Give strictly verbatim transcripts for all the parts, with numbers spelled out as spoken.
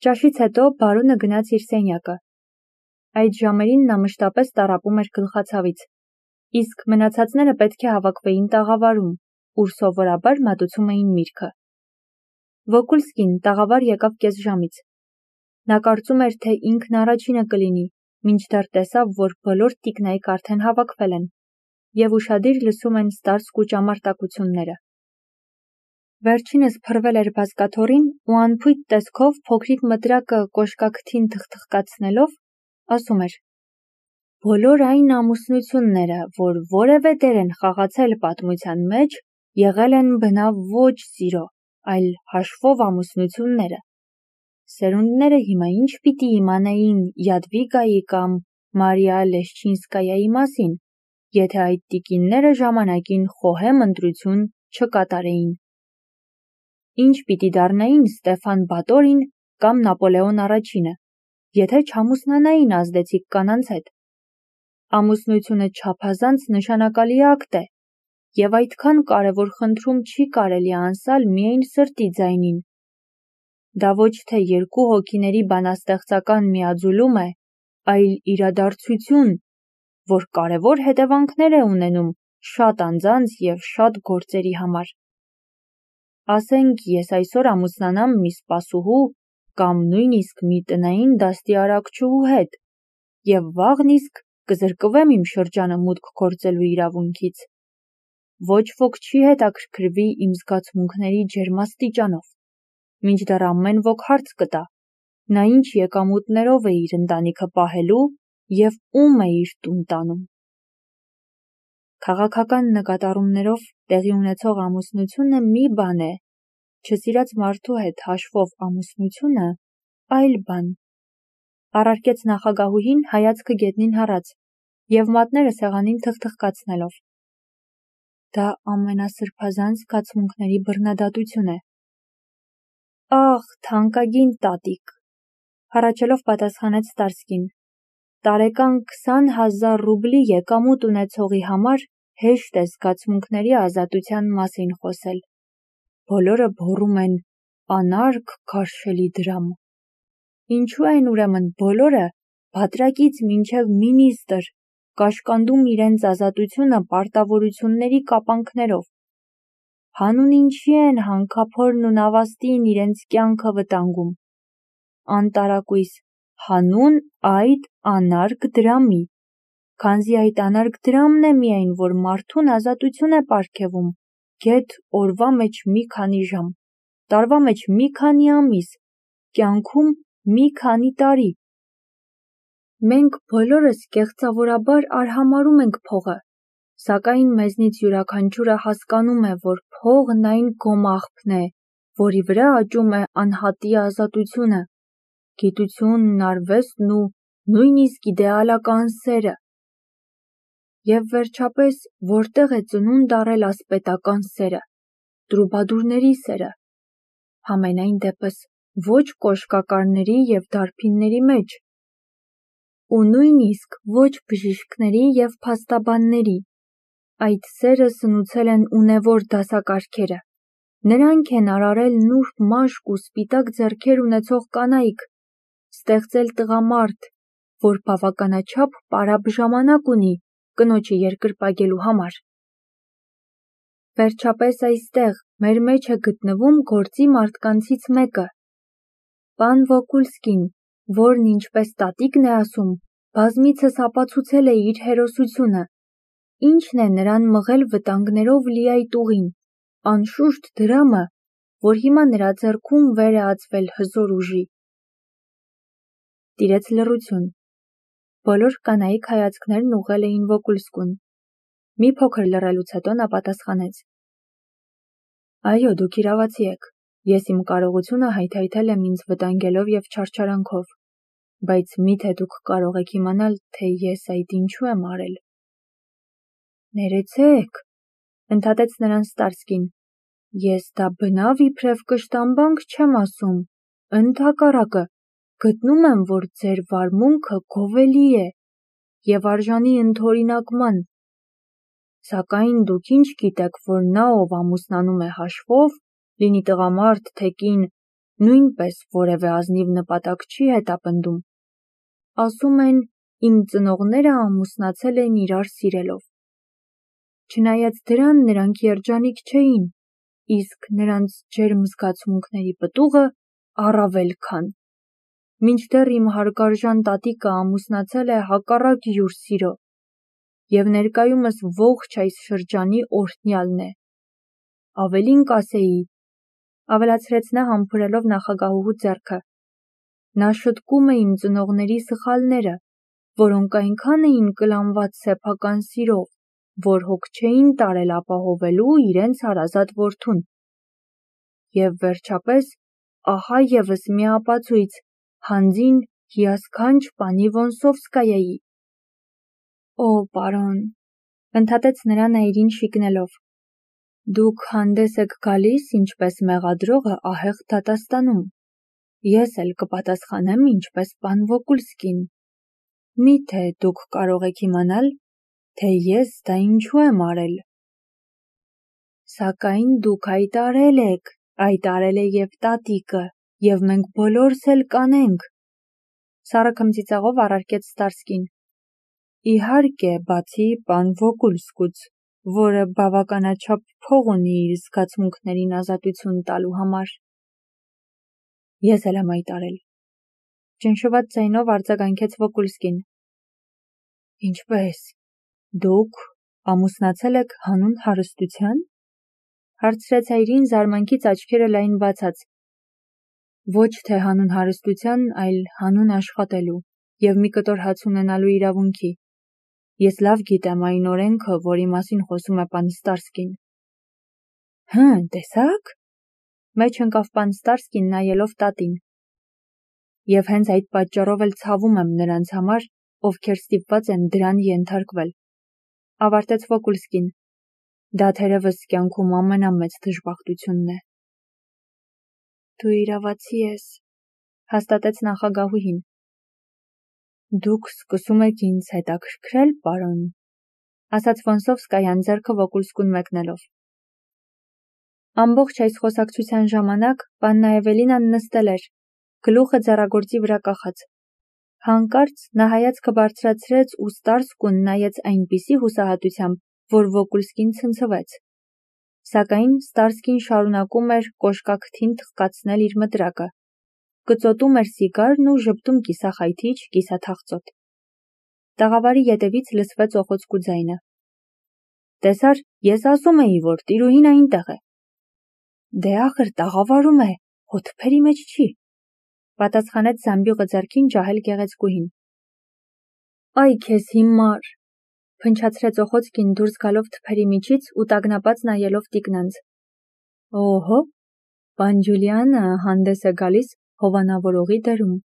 Ճաշից հետո բարոնը գնաց իր սենյակը։ Այդ ժամերին նա մշտապես տառապում էր գլխացավից, իսկ մնացածները պետք է հավաքվեին տաղավարում, ուր սովորաբար մատուցում էին միրգը։ Վոկուլսկին տաղավար եկավ կեսժամից։ Նա կարծում էր, թե ինքն առաջինը կլինի, մինչդեռ տեսավ, որ բոլոր տիկնայք արդեն հավաքվել են և ուշադիր լսում են ստարսկ ու ճամարտակությունները։ Վերջինս փռվել էր բազկաթոռին ու անփույթ տեսքով փոքրիկ մտրակը կոշկաքթին թխթխկացնելով ասում էր. «Բոլոր այն ամուսնությունները, որ որևէ դեր են խաղացել պատմության մեջ, եղել են բնավ ոչ սիրո, այլ հաշվով ամուսնությունները։ Սերունդները հիմա ինչ պիտի իմանային Յադվիգայի կամ Մարիա Լեշչինսկայայի մասին, եթե այդ տիկինները ժամանակին խոհեմ ընտրություն չկատարեին։ Ինչ պիտի դառնային Ստեֆան Բատորին կամ Նապոլեոն առաջինը, եթե չամուսնանային ազդեցիկ կանանց հետ։ Ամուսնությունը չափազանց նշանակալի ակտ է, և այդքան կարևոր խնդրում չի կարելի անսալ միայն սրտի ձայնին։ Դա ոչ թե երկու հոգիների բանաստեղծական միաձուլում է, այլ իրադարձություն, որ կարևոր հետևանքներ է ունենում շատ անձանց և շատ գործերի համար։ Ասենք ես այսօր ամուսնանամ մի սպասուհու կամ նույնիսկ մի տնային դաստիարակչուհու հետ և վաղն իսկ կզրկվեմ իմ շրջանը մուտք գործելու իրավունքից։ Ոչ ոք չի հետաքրքրվի իմ զգացմունքների ջերմաստիճանով, մինչդեռ ամեն ոք հարց կտա, նա ինչ եկամուտներով է իր ընտանիքը պահելու և ում է իր տուն տանում։ Քաղաքական նկատառումներով տեղի ունեցող ամուսնությունը մի բան է, չսիրած մարդու հետ հաշվով ամուսնությունը այլ բան, առարկեց նախագահուհին հայացքը գետնին հառած և մատները սեղանին թխթխկացնելով։ Դա ամենասրբազան զգացմունքների բռնադատություն է։ Ախ, թանկագին տատիկ, հառաչելով պատասխանեց Ստարսկին, տարեկան քսան հազար ռուբլի եկամուտ ունեցողի համար հեշտ է զգացմունքների ազատության մասին խոսել։ Բոլորը բոռում են անարգ քարշելի դրամ։ Ինչու են ուրեմն բոլորը, բատրակից մինչև մինիստր, կաշկանդում իրենց ազատությունը պարտավորությունների կապանքներով։ Հանուն ինչի են հանքափորն ու նավաստին իրենց կյանքը վտանգում։ Անտարակույս, հանուն այդ անարգ դրամի, քանզի այդ անարգ դրամն է միայն, որ մարդուն ազատություն է պարգևում, գեթ օրվա մեջ մի քանի ժամ, տարվա մեջ մի քանի ամիս, կյանքում մի քանի տարի։ Մենք բոլորս կեղծավորաբար արհամարհում ենք փողը, սակայն մեզնից յուրաքանչյուրը հասկանում է, որ փողն այն գոմաղբն է, որի վրա աճում է անհատի ազատությունը, գիտությունն, արվեստն ու նույնիսկ իդեալական սերը։ Եվ վերջապես, որտեղ է ծնունդ առել ասպետական սերը, տրուբադուրների սերը։ Համենայն դեպս, ոչ կոշկակարների և դարբինների մեջ։ Ու նույնիսկ ոչ բժիշկների և փաստաբանների։ Այդ սերը սնուցել են ունևոր դասակարգերը, նրանք են արարել նուրբ մաշկ ու սպիտակ ձեռքեր ունեցող կանայք, ստեղծել տղամարդ, որ բավականաչափ պարապ ժամանակ ունի կնոջը երկրպագելու համար։ Վերջապես այստեղ մեր մեջ է գտնվում գործի մարդկանցից մեկը, պան Վոկուլսկին, որն, ինչպես տատիկն է ասում, բազմիցս ապացուցել է իր հերոսությունը, ինչն է նրան մղել վտանգներով լի այդ ուղին, անշուշտ դրամը, որ հիմա նրա ձեռքում վեր է ածվել հզոր ուժի։ Տիրեց լռություն։ Բոլոր կանայք հայացքներն ուղղել էին Վոկուլսկուն։ Մի փոքր լռելուց հետո նա պատասխանեց. Այո, դուք իրավացի եք, ես իմ կարողությունը հայթայթել եմ ինձ վտանգելով և չարչարանքով, բայց միթե դուք կարող եք իմանալ, թե ես այդ ինչու եմ արել։ Ներեցեք, ընդհատեց նրան Ստարսկին, ես դա բնավ իբրև կշտամբանք չեմ ասում, ընդհակառակը, գտնում եմ, որ ձեր վարմունքը գովելի է և արժանի ընդօրինակման։ Սակայն դուք ինչ գիտեք, որ նա, ով ամուսնանում է հաշվով, լինի տղամարդ, թե կին, նույնպես որևէ ազնիվ նպատակ չի հետապնդում։ Ասում են, իմ ծնողները ամուսնացել են իրար սիրելով։ Չնայած դրան նրանք երջանիկ չէին, իսկ նրանց ջերմ զգացմունքների պտուղը առավել քան։ Մինչդեռ իմ հարգարժան տատիկը ամուսնացել է հակառակ յուր սիրո, և ներկայումս ողջ այս շրջանի օրհնյալն է։ Ավելին կասեի, ավելացրեց նա համբուրելով նախագահուհու ձեռքը, նա շտկում է իմ ծնողների սխալները, որոնք այնքան էին կլանված սեփական սիրով, որ հոգ չէին տարել ապահովելու իրենց հարազատ որդուն։ Եվ վերջապես, ահա ևս մի ապացույց հանձին հիասքանչ պանի Վոնսովսկայայի։ Օ, պարոն, ընդհատեց նրան այրին շիկնելով, դուք հանդես եք գալիս ինչպես մեղադրողը ահեղ դատաստանում, ես էլ կպատասխանեմ ինչպես պան Վոկուլսկին։ Միթե դուք կարող եք իմանալ, թե ես դա ինչու եմ արել։ Սակայն դուք հայտարել եք, հայտարել է և տատիկը, և մենք բոլորս էլ կանենք, սառը քմծիծաղով առարկեց Ստարսկին։ Իհարկե, բացի պան Վոկուլսկուց, որը բավականաչափ փող ունի իր զգացմունքներին ազատություն տալու համար։ Ես էլ եմ հայտարել, ճնշված ձայնով արձագանքեց Վոկուլսկին։ Ինչպե՞ս, դուք ամուսնացել եք հանուն հարստության, հարցրեց այրին զարմանքից աչքերը լայն բացած։ Ոչ թե հանուն հարստության, այլ հանուն աշխատելու և մի կտոր հաց ունենալու իրավունքի։ Ես լավ գիտեմ այն օրենքը, որի մասին խոսում է պան Ստարսկին։ Հը, տեսա՞ք, մեջ ընկավ պան Ստարսկին նայելով տատին։ Եվ հենց այդ պատճառով էլ ցավում եմ նրանց համար, ովքեր ստիպված են դրան ենթարկվել, ավարտեց Վոկուլսկին։ Դա թերևս կյանքում ամենամեծ դժբախտությունն է։ Դու իրավացի ես, հաստատեց նախագահուհին։ Դուք սկսում եք ինձ հետաքրքրել, պարոն, ասաց Վոնսովսկայան ձեռքը Վոկուլսկուն մեկնելով։ Ամբողջ այս խոսակցության ժամանակ պաննա Էվելինան նստել էր, գլուխը ձեռագործի վրա կախած։ Հանկարծ նա հայացքը բարձրացրեց ու Ստարսկուն նայեց այնպիսի հուսահատությամբ, որ Վոկուլսկին ցնցվեց։ Սակայն Ստարսկին շարունակում էր կոշկաքթին թխկացնել իր մտրակը, կծոտում էր սիգարն ու ժպտում կիսախայթիչ, կիսաթախծոտ։ Տաղավարի ետևից լսվեց օխոցկու ձայնը։ Տեսար, ես ասում էի, որ տիրուհին այնտեղ է։ Դե ախր տաղավարում է, հո թփերի մեջ չի, պատասխանեց զամբյուղը ձեռքին ջահել գեղեցկուհին։ Այ քեզ հիմար, փնչացրեց Օխոցկին դուրս գալով թփերի միջից ու տագնապած նայելով տիկնանց։ Օհո, պան Ջուլիանը հանդես է գալիս հովանավորողի դերում,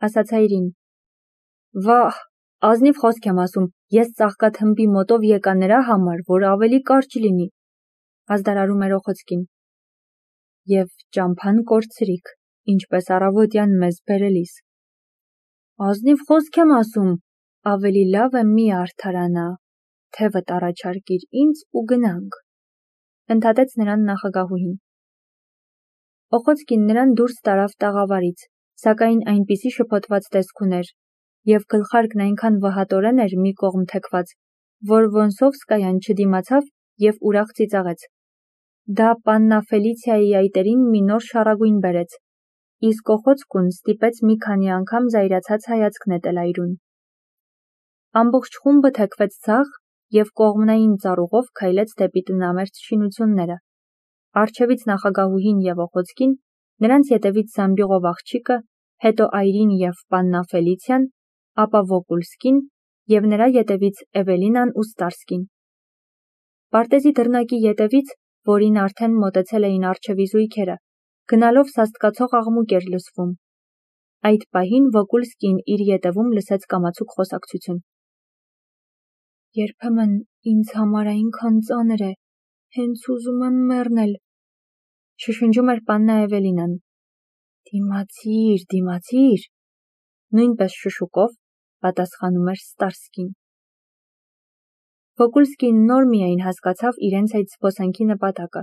ասաց այրին։ Վահ, ազնիվ խոսք եմ ասում, ես ծաղկաթմբի մոտով եկա նրա համար, որ ավելի կարճ լինի, ազդարարում էր Օխոցկին։ Եվ ճամփան կորցրիք, ինչպես առավոտյան մեզ բերելիս։ Ազնիվ խոսք եմ ասում, ավելի լավ է մի արդարանա, թևդ առաջարկիր ինձ ու գնանք, ընդհատեց նրան նախագահուհին։ Օխոցկին նրան դուրս տարավ տաղավարից, սակայն այնպիսի շփոթված տեսք ուներ, և գլխարկն այնքան վհատորեն էր մի կողմ թեքված, որ Վոնսովսկայան չդիմացավ և ուրախ ծիծաղեց։ Դա պաննա Ֆելիցիայի այտերին մի նոր շառագույն բերեց, իսկ Օխոցկուն ստիպեց մի քանի անգամ զայրացած հայացք նետել այրուն։ Ամբողջ խումբը թեքվեց ձախ և կողմնային ծառուղով քայլեց դեպի տնամերձ շինությունները։ Առջևից նախագահուհին և Օխոցկին, նրանց ետևից զամբյուղով աղջիկը, հետո այրին և պաննա Ֆելիցիան, ապա Վոկուլսկին և նրա ետևից Էվելինան ու Ստարսկին։ Պարտեզի դռնակի ետևից, որին արդեն մոտեցել էին առջևի զույգերը, գնալով սաստկացող աղմուկ էր լսվում։ Այդ պահին Վոկուլսկին իր ետևում լսեց կամացուկ խոսակցություն։ Երբեմն ինձ համար այնքան ծանր է, հենց ուզում եմ մեռնել, շշնջում էր պաննա Էվելինան։ Դիմացիր, դիմացիր, նույնպես շշուկով պատասխանում էր Ստարսկին։ Վոկուլսկին նոր միայն հասկացավ իրենց այդ զբոսանքի նպատակը,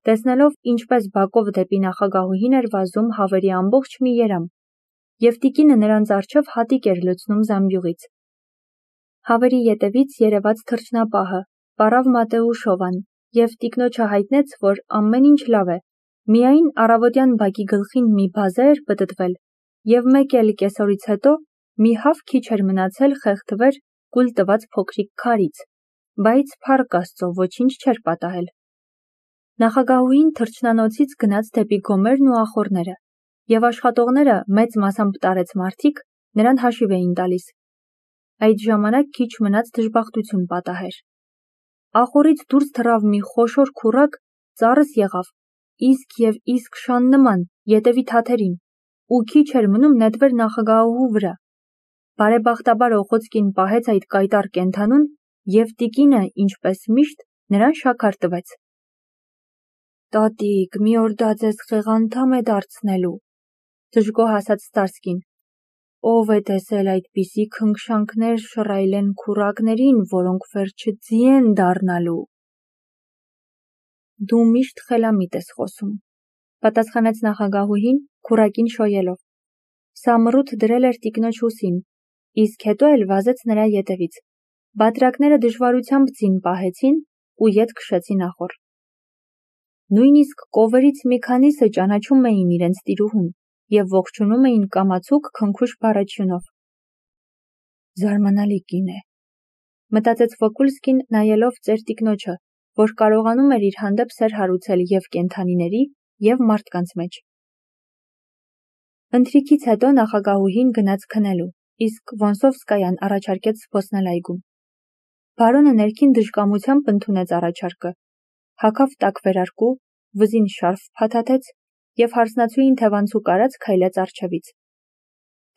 Տեսնելով, ինչպես բակով դեպի նախագահուհին էր վազում հավերի ամբողջ մի երամ, և տիկինը նրանց առջև հատիկ էր լցնում զամբյուղից։ Հավերի ետևից երևաց թռչնապահը, պառավ Մատեուշովան, և տիկնոջը հայտնեց, որ ամեն ինչ լավ է, միայն առավոտյան բակի գլխին մի բազե էր պտտվել, և մեկ էլ կեսօրից հետո մի հավ քիչ էր մնացել խեղդվեր կուլ տված փոքրիկ քարից, բայց փառք Աստծո ոչինչ չէր պատահել։ Նախագահուհին թռչնանոցից գնաց դեպի գոմերն ու ախոռները, և աշխատողները, մեծ մասամբ տարեց մարդիկ, նրան հաշիվ էին տալիս։ Այդ ժամանակ քիչ մնաց դժբախտություն պատահեր։ Ախոռից դուրս թռավ մի խոշոր քուռակ, ծառս եղավ, իսկ և իսկ շան նման, ետևի թաթերին, ու քիչ էր մնում նետվեր նախագահուհու վրա։ Բարեբախտաբար Օխոցկին պահեց այդ կայտառ կենդանուն, և տիկինը, ինչպես միշտ, նրան շաքար տվեց։ Տատիկ, մի օր դա ձեզ խեղանդամ է դարձնելու, դժգոհ ասաց Ստարսկին, ով է տեսել այդպիսի քնքշանքներ շռայլեն քուռակներին, որոնք վերջը ձի են դառնալու։ Դու միշտ խելամիտ ես խոսում, պատասխանեց նախագահուհին, քուռակին շոյելով։ Սամռութ դրել էր տիկնոջ ուսին, իսկ հետո էլ վազեց նրա ետևից։ Բատրակները դժվարությամբ ձին պահեցին ու ետ քշեցին ախոռ։ Նույնիսկ կովերից մի քանիսը ճանաչում էին իրենց տիրուհուն և ողջունում էին կամացուկ քնքուշ բառաչյունով։ Զարմանալի կին է, մտածեց Վոկուլսկին, նայելով ծեր տիկնոջը, որ կարողանում էր իր հանդեպ սեր հարուցել և կենդանիների, և մարդկանց մեջ։ Ընթրիքից հետո նախագահուհին գնաց քնելու, իսկ Վոնսովսկայան առաջարկեց զբոսնել այգում։ Բարոնը ներքին դժկամությամբ ընդունեց առաջարկը, հագավ տաք վերարկու, վզին շարֆ փաթաթեց և հարսնացուին թևանցուկ արած քայլեց առջևից։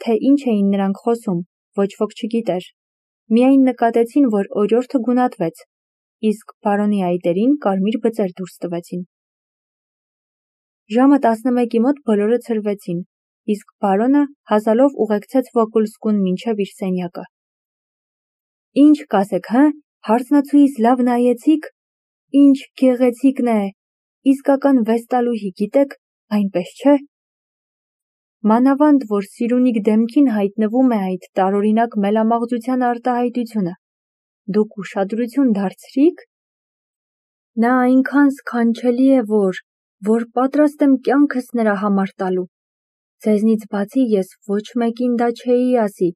Թե ինչ էին նրանք խոսում, ոչ ոք չգիտեր, միայն նկատեցին, որ օրիորդը գունատվեց, իսկ բարոնի այտերին կարմիր բծեր դուրս տվեցին։ Ժամը տասնմեկի մոտ բոլորը ցրվեցին, իսկ բարոնը հազալով ուղեկցեց Վոկուլսկուն մինչև իր սենյակը։ Ինչ կասեք, հը, հարսնացուիս լավ նայեցի՞ք, ինչ գեղեցիկն է, իսկական վեստալուհի, գիտեք, այնպես չէ։ Մանավանդ, որ Սիրունիկ դեմքին հայտնվում է այդ տարօրինակ մելամաղձության արտահայտությունը, դուք ուշադրություն դարձրի՞ք։ Նա այնքան սքանչելի է, որ, որ պատրաստ եմ կյանքս նրա համար տալու։ Ձեզնից բացի ես ոչ մեկին դա չէի ասի,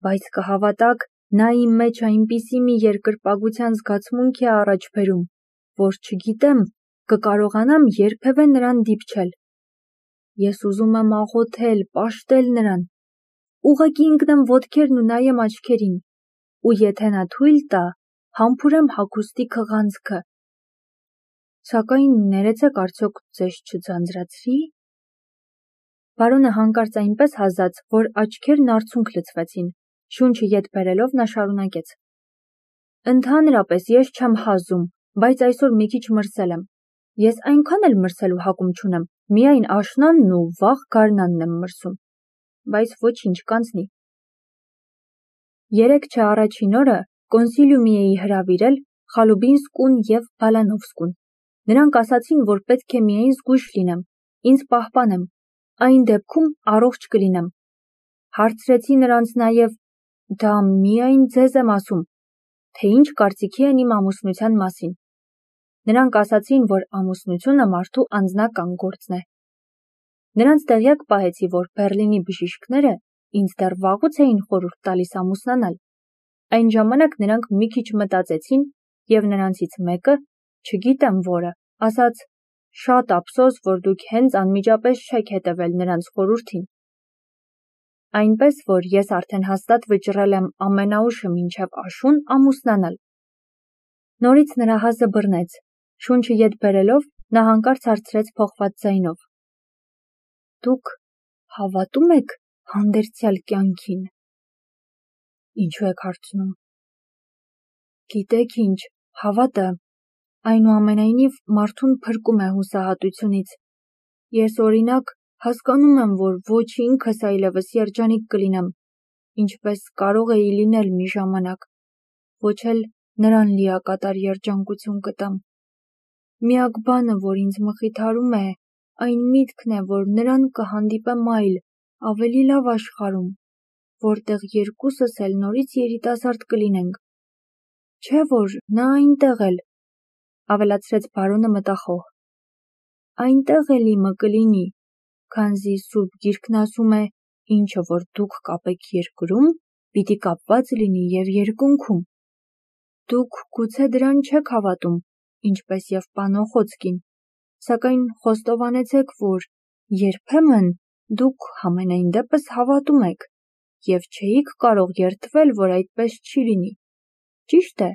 բայց կհավատաք, նա իմ մեջ այնպիսի մի երկրպագության զգացմունք է առաջ բերում, որ չգիտեմ, կկարողանամ երբևէ նրան դիպչել։ Ես ուզում եմ աղոթել, պաշտել նրան, ուղղակի ընկնեմ ոտքերն ու նայեմ աչքերին, ու եթե նա թույլ տա, համբուրեմ հագուստի քղանցքը։ Սակայն ներեցեք, արդյոք ձեզ չձանձրացրի։ Բարոնը հանկարծ այնպես հազաց, որ աչքերն արցունք լցվեցին, շունչը ետ բերելով նա շարունակեց. Ընդհանրապես ես չեմ հազում, բայց այսօր մի քիչ մրսել եմ։ Ես այնքան էլ մրսելու հակում չունեմ, միայն աշնանն ու վաղ գարնանն եմ մրսում, բայց ոչինչ կանցնի։ Երեկ չէ առաջին օրը կոնսիլիումի էի հրավիրել Խալուբինսկուն և Բալանովսկուն։ Նրանք ասացին, որ պետք է միայն զգույշ լինեմ, ինձ պահպանեմ, այն դեպքում առողջ կլինեմ։ Հարցրեցի նրանց նաև, դա միայն ձեզ եմ ասում, թե ինչ կարծիքի են իմ ամուսնության մասին։ Նրանք ասացին, որ ամուսնությունը մարդու անձնական գործն է։ Նրանց տեղյակ պահեցի, որ Բեռլինի բժիշկները ինձ դեռ վաղուց էին խորհուրդ տալիս ամուսնանալ։ Այն ժամանակ նրանք մի քիչ մտածեցին, և նրանցից մեկը, չգիտեմ որը, ասաց. շատ ափսոս, որ դուք հենց անմիջապես չեք հետևել նրանց խորհրդին։ Այնպես, որ ես արդեն հաստատ վճռել եմ ամենաուշը մինչև աշուն ամուսնանալ։ Նորից նրա հազը բռնեց, շունչը ետ բերելով նա հանկարծ հարցրեց փոխված ձայնով. Դուք հավատում եք հանդերձյալ կյանքին։ Ինչու եք հարցնում։ Գիտեք ինչ, հավատը, այնուամենայնիվ մարդուն փրկում է հուսահատությունից։ Ես օրինակ հասկանում եմ, որ ոչ ինքս այլևս երջանիկ կլինեմ, ինչպես կարող էի լինել մի ժամանակ, ոչ էլ նրան լիակատար երջանկություն կտամ։ Միակ բանը, որ ինձ մխիթարում է, այն միտքն է, որ նրան կհանդիպեմ այլ, ավելի լավ աշխարհում, որտեղ երկուսս էլ նորից երիտասարդ կլինենք։ Չէ՞ որ նա այնտեղ էլ, ավելացրեց բարոնը մտախոհ։ Այնտեղ էլ իմը կլինի, քանզի Սուրբ Գիրքն ասում է, ինչը որ դուք կապեք երկրում, պիտի կապված լինի և երկնքում։ Դուք գուցե դրան չեք հավատում, ինչպես և Պանոխոցկին, սակայն խոստովանեցեք, որ երբեմն դուք համենայն դեպս հավատում եք և չէիք կարող երդվել, որ այդպես չի լինի։ Ճի՞շտ է։